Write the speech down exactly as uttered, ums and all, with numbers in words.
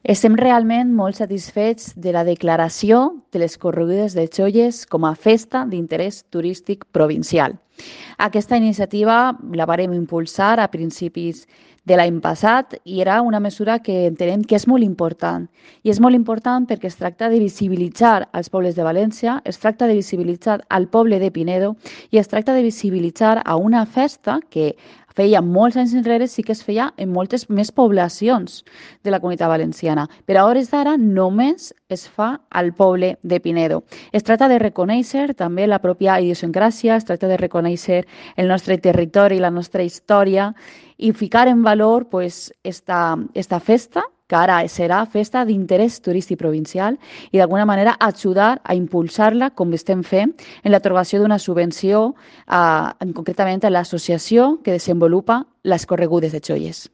Estem realment molt satisfets de la declaració de les Corregudes de Cholles com a festa d'interès turístic provincial. Aquesta iniciativa la vàrem impulsar a principis de l'any passat i era una mesura que entenem que és molt important. I és molt important perquè es tracta de visibilitzar els pobles de València, es tracta de visibilitzar al poble de Pinedo i es tracta de visibilitzar a una festa que feia molts anys enrere sí que es feia en moltes més poblacions de la Comunitat Valenciana, però a hores d'ara només es fa al poble de Pinedo. Es tracta de reconèixer també la pròpia idiosincràsia, es tracta de reconèixer el nostre territori, la nostra història i ficar en valor pues, esta, esta festa que ara serà festa d'interès turístic provincial i d'alguna manera ajudar a impulsar-la com estem fent en l'atorgació d'una subvenció eh, concretament a l'associació que desenvolupa les Corregudes de Cholles.